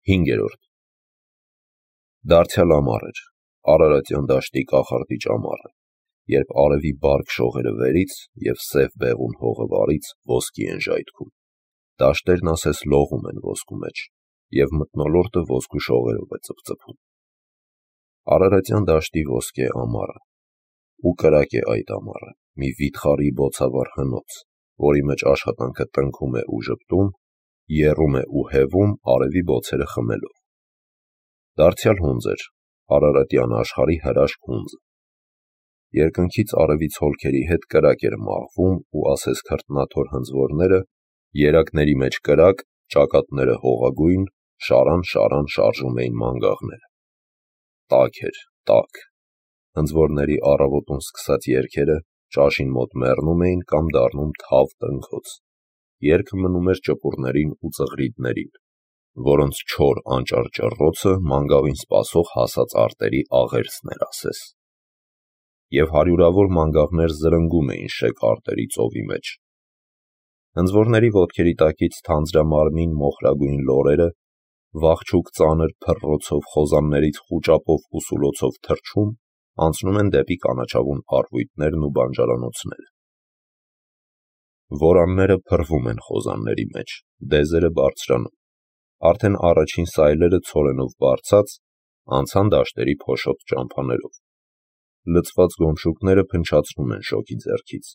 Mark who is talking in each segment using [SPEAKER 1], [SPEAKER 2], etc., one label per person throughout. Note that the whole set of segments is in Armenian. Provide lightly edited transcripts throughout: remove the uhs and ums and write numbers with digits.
[SPEAKER 1] 5. Դարձյալ ամառ էր, Արարատյան դաշտի կախարդիչ ամառը, երբ արևի բարք շողերը վերից և սև բեղուն հողը վարից ոսկի են ժայթքում, դաշտերն ասես լողում են ոսկու մեջ, և մթնոլորտը ոսկու շողերով է ծպծպում։ Արարատյան դաշտի ոսկե ամառը, ու կրակ է այդ ամառը, մի վիթխարի բոցավառ հնոց, որի մեջ աշխատանքը տնքում է ու ժպտում, եռում է ու հևում արևի բոցերը խմելով։ Դարձյալ հունձ էր, Արարատյան աշխարհի հրաշք հունձը։ Երկնքից արևի ցոլքերի հետ կրակ էր մաղվում ու ասես քրտնաթոր հնձվորները, երակների մեջ կրակ, ճակատները հողագույն, շարան շարժում էին մանգաղները։ Տաք էր, տաք։ Հնձվորների առավոտուն սկսած երգերը ճաշին մոտ մեռնում էին կամ դառնում թավ տնքոց։ Երգը մնում էր ճպուրներին ու ծղրիդներին, որոնց չոր անճար ճռռոցը մանգաղին սպասող հասած արտերի աղերսն էր ասես։ Եվ հարյուրավոր մանգաղներ զրնգում էին շեկ արտերի ծովի մեջ։ Հնձվորների ոտքերի տակից թանձրամարմին մոխրագույն լորերը, վախճուկ ծանր փռռոցով խոզաններից խուճապով ու սուլոցով թռչում, անցնում են դեպի կանաչավուն առվույտներն ու բանջարանոցները։ Որանները փռվում են խոզանների մեջ, դեզերը բարձրանում, արդեն առաջին սայլերը ցորենով բարձած, անցան դաշտերի փոշոտ ճամփաներով։ Լցված գոմշուկները փնչացնում են շոգի ձեռքից,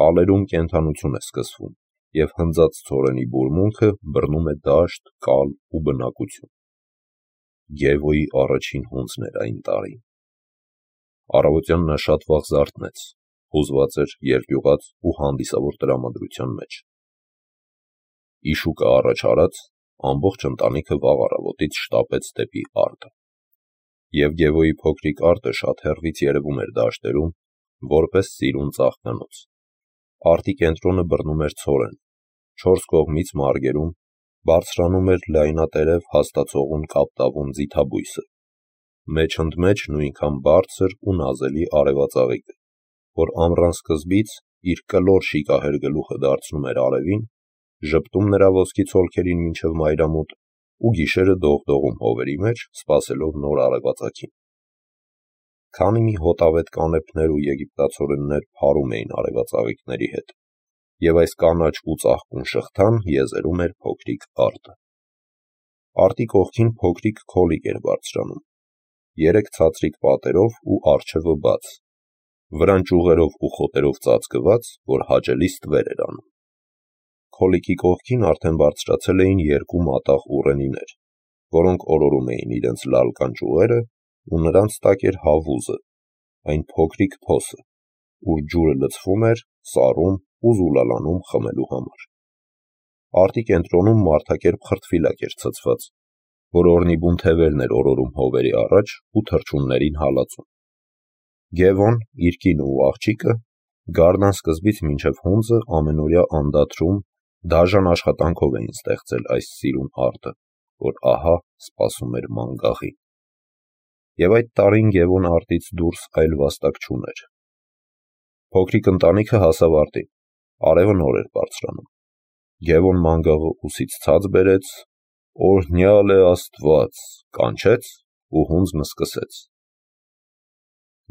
[SPEAKER 1] կալերում կենդանություն է սկսվում, և հնձած ցորենի բուրմունքը բռնում է դաշտ, կալ ու բնակություն։ Գևոյի առաջին հունձն էր այն տարին։ Առավոտյան նա շատ վաղ զարթնեց, հուզված էր, երկյուղած ու հանդիսավոր տրամադրության մեջ։ Իշուկը առաջ արած, ամբողջ ընտանիքը վաղ առավոտից շտապեց դեպի արտը։ Եվ Գևոյի փոքրիկ արտը շատ հեռվից երևում էր դաշտերում, որպես ծիրուն ծաղկանոց։ Արտի կենտրոնը բռնում էր ցորեն, 4 կողմից մարգերում բարձրանում էր լայնատերև հաստացողուն կապտավուն ձիթաբույսը, մեջ ընդմեջ նույնքան բարձր ու նազելի արևածաղիկը, որ ամռան սկզբից իր կլոր շիկահեր գլուխը դարձնում էր արևին, ժպտում նրա ոսկի ցոլքերին մինչև մայրամուտ ու գիշերը դողդողում հովերի մեջ, սպասելով նոր արևածագին։ Քանի մի հոտավետ կանեփներ ու եգիպտացորեններ փարում էին արևածաղիկների հետ, և այս կանաչ ու ծաղկուն շղթան եզերում էր փոքրիկ արտը։ Արտի կողքին փոքրիկ քոլիկ էր բարձրանում, 3 ցածրիկ պատերով ու առջևը բաց, վրան ճյուղերով ու խոտերով ծածկված, որ հաճելի ստվեր էր անում։ Քոլիկի կողքին արդեն բարձրացել էին 2 մատաղ ուռենիներ, որոնք օրորում էին իրենց լալկան ճյուղերը, ու նրանց տակ էր հավուզը, այն փոքրիկ փոսը, ուր ջուրը լցվում էր, սառում ու զուլալանում խմելու համար։ Արտի կենտրոնում մարդակերպ խրտվիլակ էր ցցված, որ օրնիբուն թևերն էր օրորում հովերի առաջ ու թռչուններին հալածում։ Գևոն, իր կինը ու աղջիկը գարնան սկզբից մինչև հունձը ամենօրյա անդադրում, դաժան աշխատանքով էին ստեղծել այս սիրուն արտը, որ ահա սպասում էր մանգաղին։ Եվ այդ տարին Գևոն արտից դուրս այլ վաստակ չուներ։ Փոքրիկ ընտանիքը հասավ արտին, արևը նոր էր բարձրանում։ Գևոն մանգաղը ուսից ցած բերեց, օրհնյալ է Աստված, կանչեց ու հունձն սկսեց։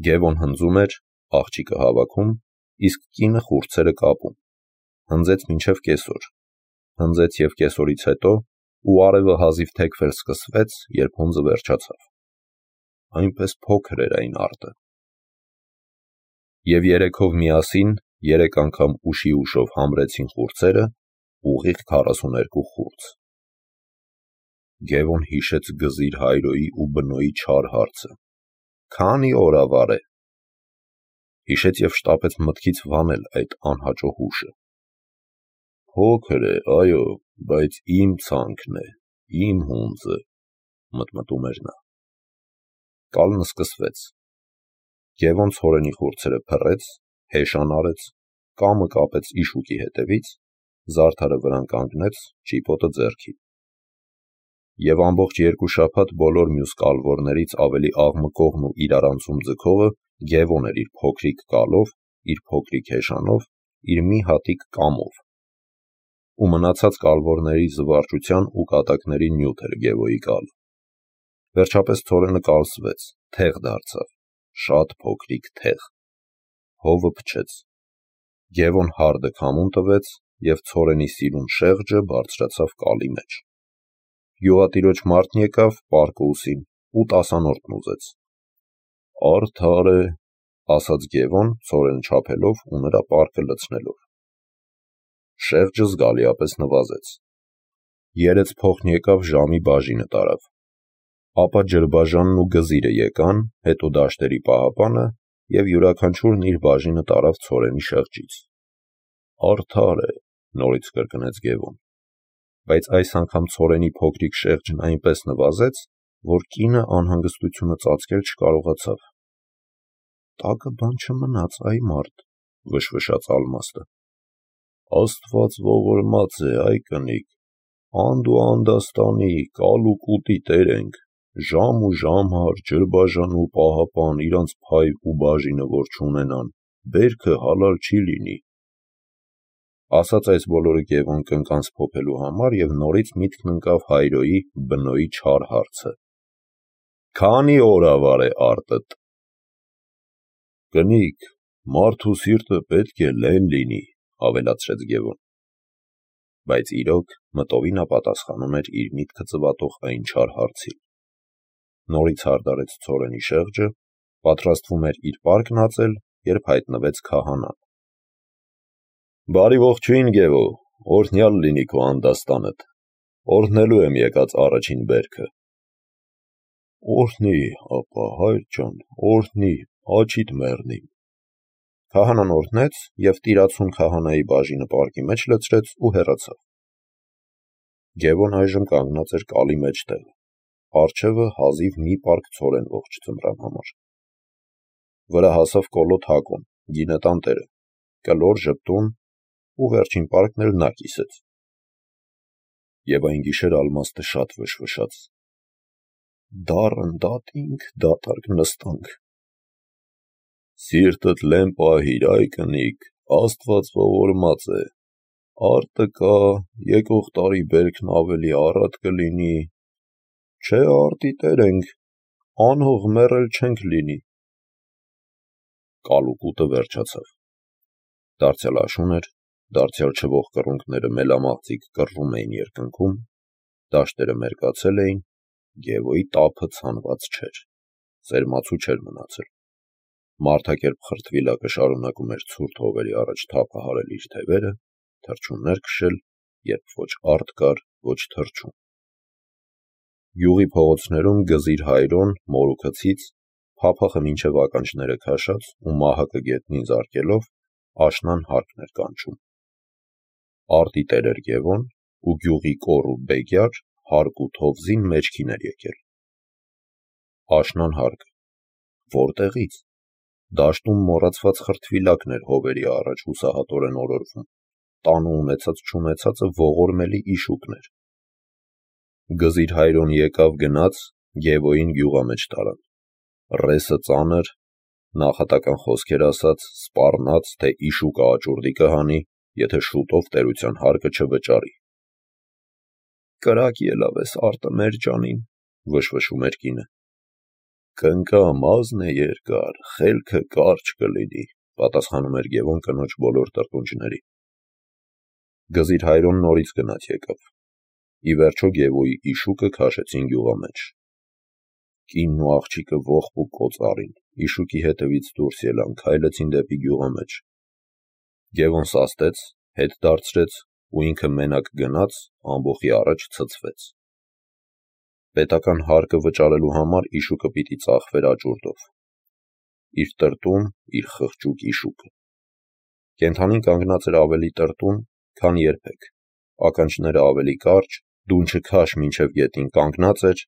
[SPEAKER 1] Գևոն հնձում էր, աղջիկը հավաքում, իսկ կինը խուրձերը կապում։ Հնձեց մինչև կեսօր, հնձեց և կեսօրից հետո, ու արևը հազիվ թեքվել սկսվեց, երբ հունձը վերջացավ։ Այնպես փոքր էր այն արտը։ Եվ երեքով միասին 3 անգամ ուշի ուշով համրեցին խուրձերը, ուղիղ 42 խուրձ։ Գևոն հիշեց Գզիր Հայրոյի ու Բնոյի չար հարցը. «Քանի օրավար է»։ Հիշեց և շտապեց մտքից վանել այդ անհաճո հուշը։ «Փոքր է, այո, բայց իմ ցանքն է, իմ հունձը», մտմտում էր նա։ Կալն սկսվեց։ Գևոն ցորենի խուրձերը փռեց, հեշան արեց, կամը կապեց իշուկի հետևից, զարդարը վրան կանգնեց, ճիպոտը ձեռքին։ Եվ ամբողջ 2 շաբաթ բոլոր մյուս կալվորներից ավելի աղմկողն ու իրարանցում ձգողը Գևոն էր իր փոքրիկ կալով, իր փոքրիկ հեշանով, իր մի հատիկ կամով։ ու մնացած կալվորների զվարճության ու կատակների նյութ էր Գևոյի կալը։ Վերջապես ցորենը կալսվեց, թեղ դարձավ, շատ փոքրիկ թեղ։ Հովը փչեց։ Գևոն հարդը քամուն տվեց և ցորենի սիրուն շեղջը բարձրացավ կալի մեջ։ Գյուղատիրոջ մարդն եկավ պարկուսին ու տասանորդն ուզեց։ «Արդար է», ասաց Գևոն, ցորենը չափելով ու նրա պարկը լցնելով։ Շեղջը զգալիապես նվազեց։ Երեց փոխն եկավ ժամի բաժինը տարավ։ Ապա ջրբաժանն ու գզիրը եկան, հետո դաշտերի պահապանը և յուրաքանչյուրն իր բաժինը տարավ ցորենի շեղջից։ «Արդար է», նորից կրկնեց Գևոն, բայց այս անգամ ցորենի փոքրիկ շեղջն այնպես նվազեց, որ կինը անհանգստությունը ծածկել չկարողացավ։ «Տակը բան չմնաց, այ մարդ», վշվշաց Ալմաստը։ «Աստված ողորմած է, այ կնիկ, անդ ու անդաստանի, կալ ու կուտի տեր ենք, ժամ ու ժամհար, ջրբաժան ու պահապան, իրանց փայ ու բաժինը որ չունենան, բերքը հալալ չի լինի»։ Ասաց այս բոլորը Գևոն կնկանց փոփելու համար և նորից միտքն ընկավ հայրոյի բնոյի չար հարցը. «Քանի օրավար է արտդ»։ «Կնիկ, մարդու սիրտը պետք է լեն լինի», ավելացրեց Գևոն։ Բայց իրոք մտովին ապատասխանում էր իր միտքը ծվատող այն չար հարցին։ Նորից հարդարեց ցորենի շեղջը, պատրաստվում էր իր պարկն ածել, երբ հայտնվեց քահանան։ «Բարի ողջույն, Գևո, օրհնյալ լինի քո անդաստանդ, օրհնելու եմ եկած առաջին բերքը»։ «Օրհնի, ապա, հայր ջան, օրհնի, աչիդ մեռնիմ»։ Քահանան օրհնեց և տիրացուն քահանայի բաժինը պարկի մեջ լցրեց ու հեռացավ։ Գևոն այժմ կանգնած էր կալի մեջտեղ, առջևը հազիվ մի պարկ ցորեն ողջ ձմռան համար։ Վրա հասավ Կոլոտ Հակոն, գինետան տերը, կլոր ժպտուն, ու վերջին պարկն էլ նա կիսեց։ Եվ այն գիշեր Ալմաստը շատ վշվշաց։ «Դառն դատինք, դատարկ նստանք»։ «Սիրտդ լեն պահիր, այ կնիկ, Աստված ողորմած է, արտը կա, եկող տարի բերքն ավելի առատ կլինի, չէ արտի տեր ենք, անհող մեռել չենք լինի»։ Կալ ու կուտը վերջացավ։ Դարձյալ աշուն էր, դարձյալ չվող կռունկները մելամաղձիկ կռվում էին երկնքում, դաշտերը մերկացել էին, Գևոյի տափը ցանված չէր, սերմացու չէր մնացել։ Մարդակերպ խրտվիլակը շարունակում էր ցուրտ հովերի առաջ թափը հարել իր թևերը, թռչուններ քշել, երբ ոչ արդ կար, ոչ թռչուն։ Գյուղի փողոցներում գզիր հայրոն, մորուքցից, փափախը մինչև ականջները քաշած ու մահակը գետնին զարկելով, աշնան հարկն էր կանչում։ Արտի տեր էր Գևոն, ու գյուղի կոր ու բեգյար հարկ ու թովզին մեջքին էր եկել։ Աշնան հարկը։ Որտեղից։ Դաշտում մոռացված խրտվիլակն էր հովերի առաջ հուսահատորեն օրորվում, տանը ունեցած չունեցածը ողորմելի իշուկն էր։ Գզիր հայրոն եկավ գնաց, Գևոյին գյուղամեջ տարան։ Ռեսը ծանր, նախատական խոսքեր ասաց, սպառնաց, թե իշուկը աճուրդի կհանի, եթե շուտով տերության հարկը չվճարի։ «Կրակ ելավ ես արտը մեր ջանին», վշվշում էր կինը։ «Կնկա մազն է երկար, խելքը կարճ կլինի», պատասխանում էր Գևոն կնոջ բոլոր տրտունջների։ Գզիր հայրոն նորից գնաց եկավ։ Ի վերջո Գևոյի իշուկը քաշեցին գյուղամեջ։ Կինն ու աղջիկը ողբ ու կոծառին, իշուկի հետևից դուրս ելան, քայլեցին դեպի գյուղամեջ։ Գևոն սաստեց, հետ դարձրեց ու ինքը մենակ գնաց, ամբոխի առաջ ցցվեց։ Պետական հարկը վճարելու համար իշուկը պիտի ծախվեր աճուրդով։ Իր տրտուն, իր խղճուկ իշուկը։ Կենդանին կանգնած էր ավելի տրտուն, քան երբեք, ականջները ավելի կարճ, դունչը քաշ մինչև գետին կանգնած էր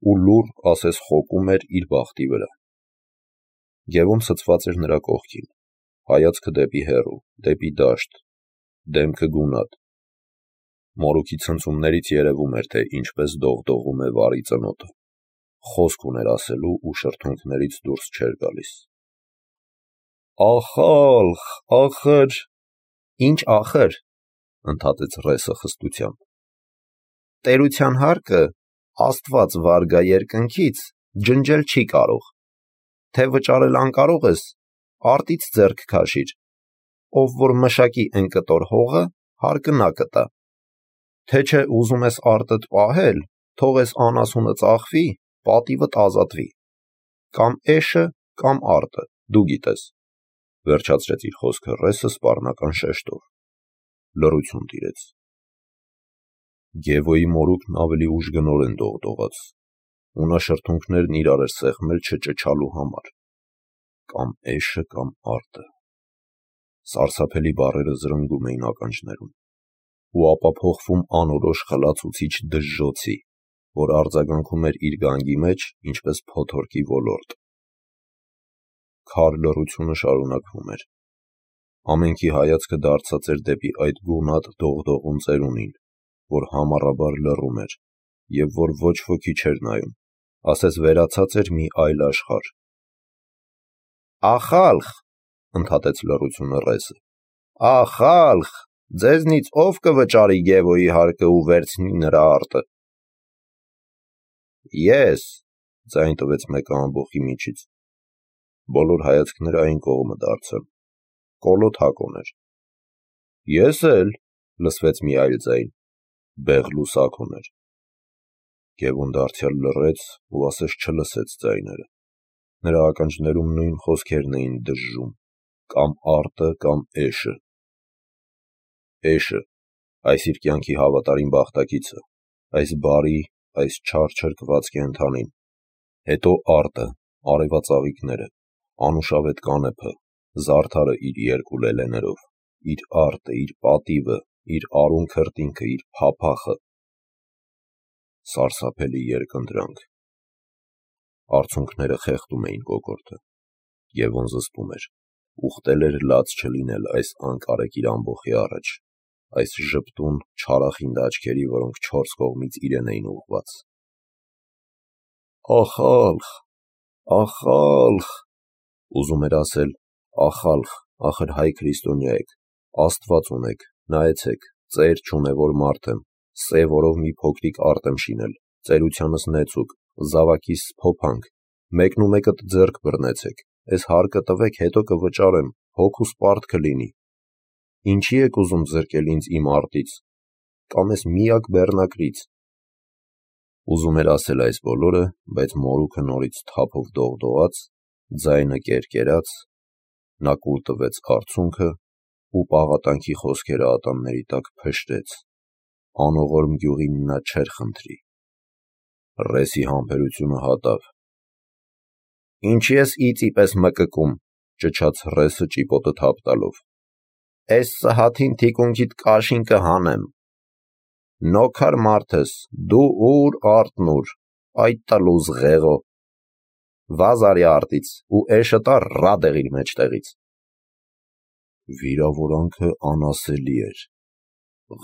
[SPEAKER 1] ու լուռ ասես խոկում էր իր բախտի վրա։ Գևոն ցցված էր նրա կողքին, հայացքը դեպի հեռու, դեպի դաշտ, դեմքը գունատ։ Մորուքի ցնցումներից երևում էր, թե ինչպես դողդողում է վարի ծնոտը, խոսք ուներ ասելու ու շրթունքներից դուրս չէր գալիս։ «Ախալխ, ախր»։ «Ինչ ախր»։ ընդհատեց Ռեսը խստությամբ։ Տերության հարկը Աստված վարգա երկնքից ջնջել չի կարող, թե վճարել անկարող ես, արտից ձեռք քաշիր, ով որ մշակի են կտոր հողը, հարկը նա կտա, թե չէ ուզում ես արտդ պահել, թող ես անասունը ծախվի, պատիվդ ազատվի, կամ էշը, կամ արտը, դու գիտես, վերջացրեց իր խոսքը Ռեսը սպառնական շեշտով։ Լռություն տիրեց։ Գևոյի մորուքն ավելի ուժգնորեն դողդողաց, ու նա շրթունքներն իրար էր սեղմել չճչալու համար, կամ էշը, կամ արտը։ Սարսափելի բառերը զրնգում էին ականջներում, ու ապա փոխվում անորոշ խլացուցիչ դժժոցի, որ արձագանքում էր իր գանգի մեջ, ինչպես փոթորկի ոլորտ։ Քար լռությունը շարունակվում էր։ Ամենքի հայացքը դարձած էր դեպի այդ գունատ դողդողուն ծերունին, որ համառաբար լռում էր, և որ ոչ ոքի չէր նայում, ասես վերացած էր մի այլ աշխարհ։ Ախալխ, ընդհատեց լռությունը Ռեսը, ախալխ, ձեզնից ով կվճարի Գևոյի հարկը ու վերցնի նրա արտը։ Ես, ձայն տվեց մեկը ամբոխի միջից։ Բոլոր հայացքները այն կողմը դարձան։ Կոլոտ Հակոն էր։ Ես էլ, լսվեց մի այլ ձայն, Բեղլուս Հակոն էր։ Գևոն դարձյալ լռեց ու ասես չլսեց ձայները։ Նրա ականջներում նույն խոսքերն էին դժժում, կամ արտը, կամ էշը։ Էշը, այս իր կյանքի հավատարիմ բախտակիցը, այս բարի, այս չար չրկված կենդանին, հետո արտը, արևածաղիկները, անուշավետ կանեփը, զարդարը իր երկու լելեներով, իր արտը, իր պատիվը, իր արուն քրտինքը, իր փափախը։ Սարսափելի երկընտրանք։ Արցունքները խեղդում էին կոկորդը։ Գևոն զսպում էր, ուխտել էր լաց չլինել այս անկարեք իր ամբոխի առաջ, այս ժպտուն, չարախինդ աչքերի, որոնք չորս կողմից իրեն էին ուղղված։ Ախալխ, ախալխ, ուզում էր ասել, ախալխ, ախր հայ քրիստոնյա եք, Աստված ունեք, նայեցեք, ծեր չունե որ մարդ եմ, սևորով մի փոքրիկ արտ եմ շինել, ծերությանս նեցուկ, զավակիս փոփանք, մեկնումեկդ ձեռք բռնեցեք, այս հարկը տվեք, հետո կվճարեմ, հոգուս պարտ կլինի։ Ինչի եք ուզում զրկել ինձ իմ արտից, կամ այս միակ բեռնակրից։ Ուզում էր ասել այս բոլորը, բայց մորուքը նորից թափով դողդողաց, ձայնը կերկերաց, նա կուլ տվեց արցունքը ու պաղատանքի խոսքերը ատամների տակ փշրեց, անողորմ գյուղին նա չէր խնդրի։ Ռեսի համբերությունը հատավ։ Ինչի ես իծի պես մկկում, ճչաց Ռեսը ճիպոտը թափ տալով։ Էս սհաթին թիկունքիդ կաշին կհանեմ։ Նոքար մարդս, դու ուր արտնուր, այդ տլուզ ղեղո։ Վազարի արտից ու էշը տար ռադեղ իր մեջտեղից։ Վիրավորանքը անասելի էր։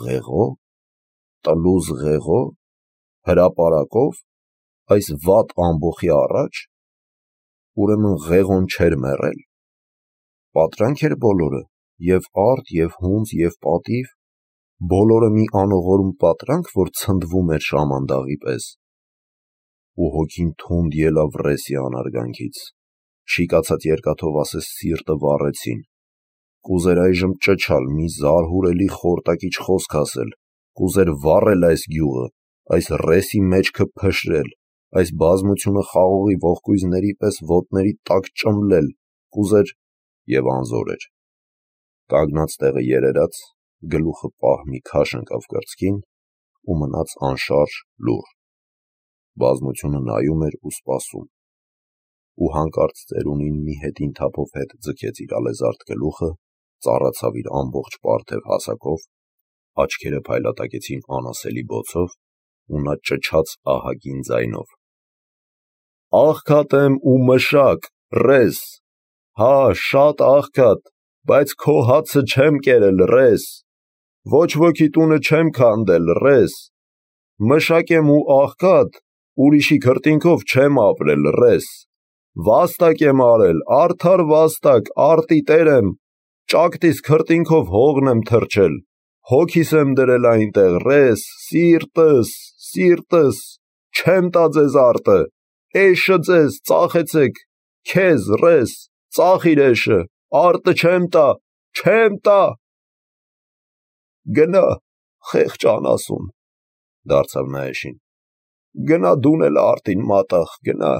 [SPEAKER 1] Ղեղո, տլուզ ղեղո, հրապարակով, այս վատ ամբոխի առաջ, ուրեմն ղեղոն չէր մեռել։ Պատրանք էր բոլորը, և արտ, և հունձ, և պատիվ, բոլորը մի անողորմ պատրանք, որ ցնդվում էր շամանդաղի պես։ Ու հոգին թունդ ելավ Ռեսի անարգանքից, շիկացած երկաթով ասես սիրտը վառեցին, կուզեր այժմ ճչալ, մի զարհուրելի խորտակիչ խոսք ասել, կուզեր վառել այս գյուղը, այս Ռեսի մեջքը փշրել, այս բազմությունը խաղողի ողկույզների պես ոտների տակ ճմլել, կուզեր և անզոր էր։ Կանգնած տեղը երերաց, գլուխը պահ մի քաշ ընկավ կրծքին ու մնաց անշարժ լուռ։ Բազմությունը նայում էր ու սպասում։ Ու հանկարծ ծերունին մի հետին թափով հետ ձգեց իր ալեզարդ գլուխը, ծառացավ իր ամբողջ պարթև հասակով, աչքերը փայլատակեցին անասելի բոցով, ու նա ճչաց ահագին ձայնով. Աղքատ եմ ու մշակ, Ռես, հա, շատ աղքատ, բայց քո հացը չեմ կերել, Ռես, ոչ ոքի տունը չեմ քանդել, Ռես, մշակ եմ ու աղքատ, ուրիշի քրտինքով չեմ ապրել, Ռես, վաստակ եմ արել, արդար վաստակ, արտի տեր եմ, ճակտիս քրտինքով հողն եմ թրջել, Հոգիս եմ դրել այնտեղ, ռես, սիրտս, չեմ տա ձեզ արտը, էշը ձեզ, ծախեցեք, քեզ, ռես, ծախ իր էշը, արտը չեմ տա։ Գնա, խեղճ անասուն, դարձավ նա էշին, գնա դուն էլ արտին մատաղ, գնա։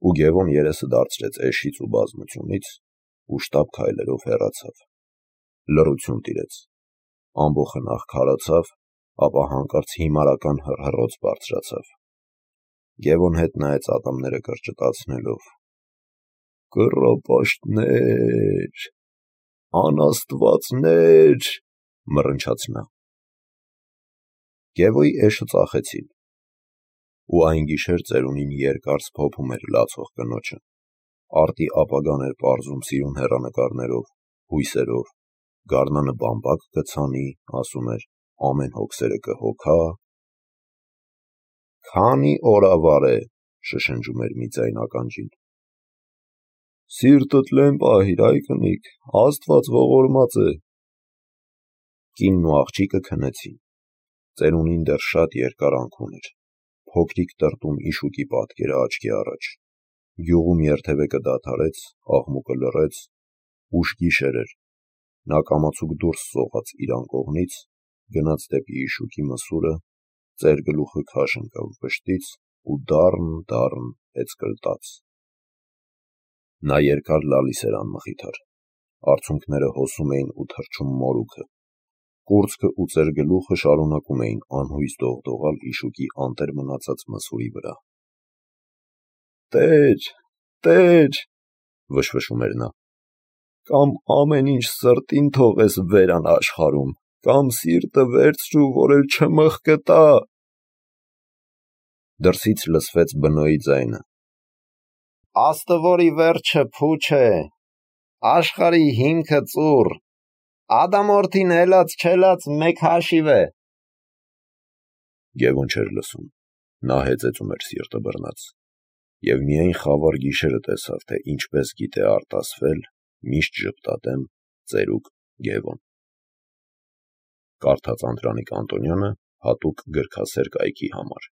[SPEAKER 1] Ու Գևոն երեսը դարձրեց էշից ու բազմությունից ու շտապ քայլերով հեռացավ։ Լռություն տիրեց, ամբոխը նախ քարացավ, ապա հանկարծ հիմարական հռհռոց բարձրացավ։ Գևոն հետ նայեց ատամները կրճտացնելով։ «Կռապաշտներ, անաստվածներ», մռնչաց նա։ Գևոյի էշը ծախեցին, ու այն գիշեր ծերունին երկար սփոփում էր լացող կնոջը, արտի ապագան էր պարզում սիրուն հեռանկարներով, հույսերով, գարնանը բամբակ կցանի, ասում էր, ամեն հոգսերը կհոգա։ «Քանի օրավար է», շշնջում էր մի ձայն ականջին։ «Սիրտդ լեն պահիր, այ կնիկ, Աստված ողորմած է»։ Կինն ու աղջիկը քնեցին, ծերունին դեռ շատ երկարանք ուներ, փոքրիկ տրտում իշուկի պատկերը աչքի առաջ, գյուղում երթևեկը դադարեց, աղմուկը լռեց, ուշ գիշեր էր, նա կամացուկ դուրս սողաց իր անկողնից, գնաց դեպի իշուկի մսուրը, ծեր գլուխը քաշ ընկավ վշտից ու դառն հեծկլտաց։ Նա երկար լալիս էր անմխիթար, արցունքները հոսում էին ու թռչում մորուքը, կուրծքը ու ծեր գլուխը շարունակում էին անհույս դողդողալ իշուկի անտեր մնացած մսուրի վրա։ Տեր, վշվշում էր նա, կամ ամեն ինչ սրտին թողես վերան աշխարհում, կամ սիրտը վերցրու, որ էլ չմխկտա։ Դրսից լսվեց բնոյի ձայնը.
[SPEAKER 2] Աստվորի վերջը փուչ է, աշխարհի հիմքը ծուռ, Ադամորդին հելած մեկ հաշիվ է։
[SPEAKER 1] Գևոն չէր լսում, նա հեծեծում էր սիրտը բռնած, և միայն խավար գիշերը տեսավ, թե ինչպես գիտե արտասվել, միշտ ժպտատեմ, ծերուկ Գևոն։ Կարդաց Անդրանիկ Անտոնյանը հատուկ գրքասեր կայքի համար։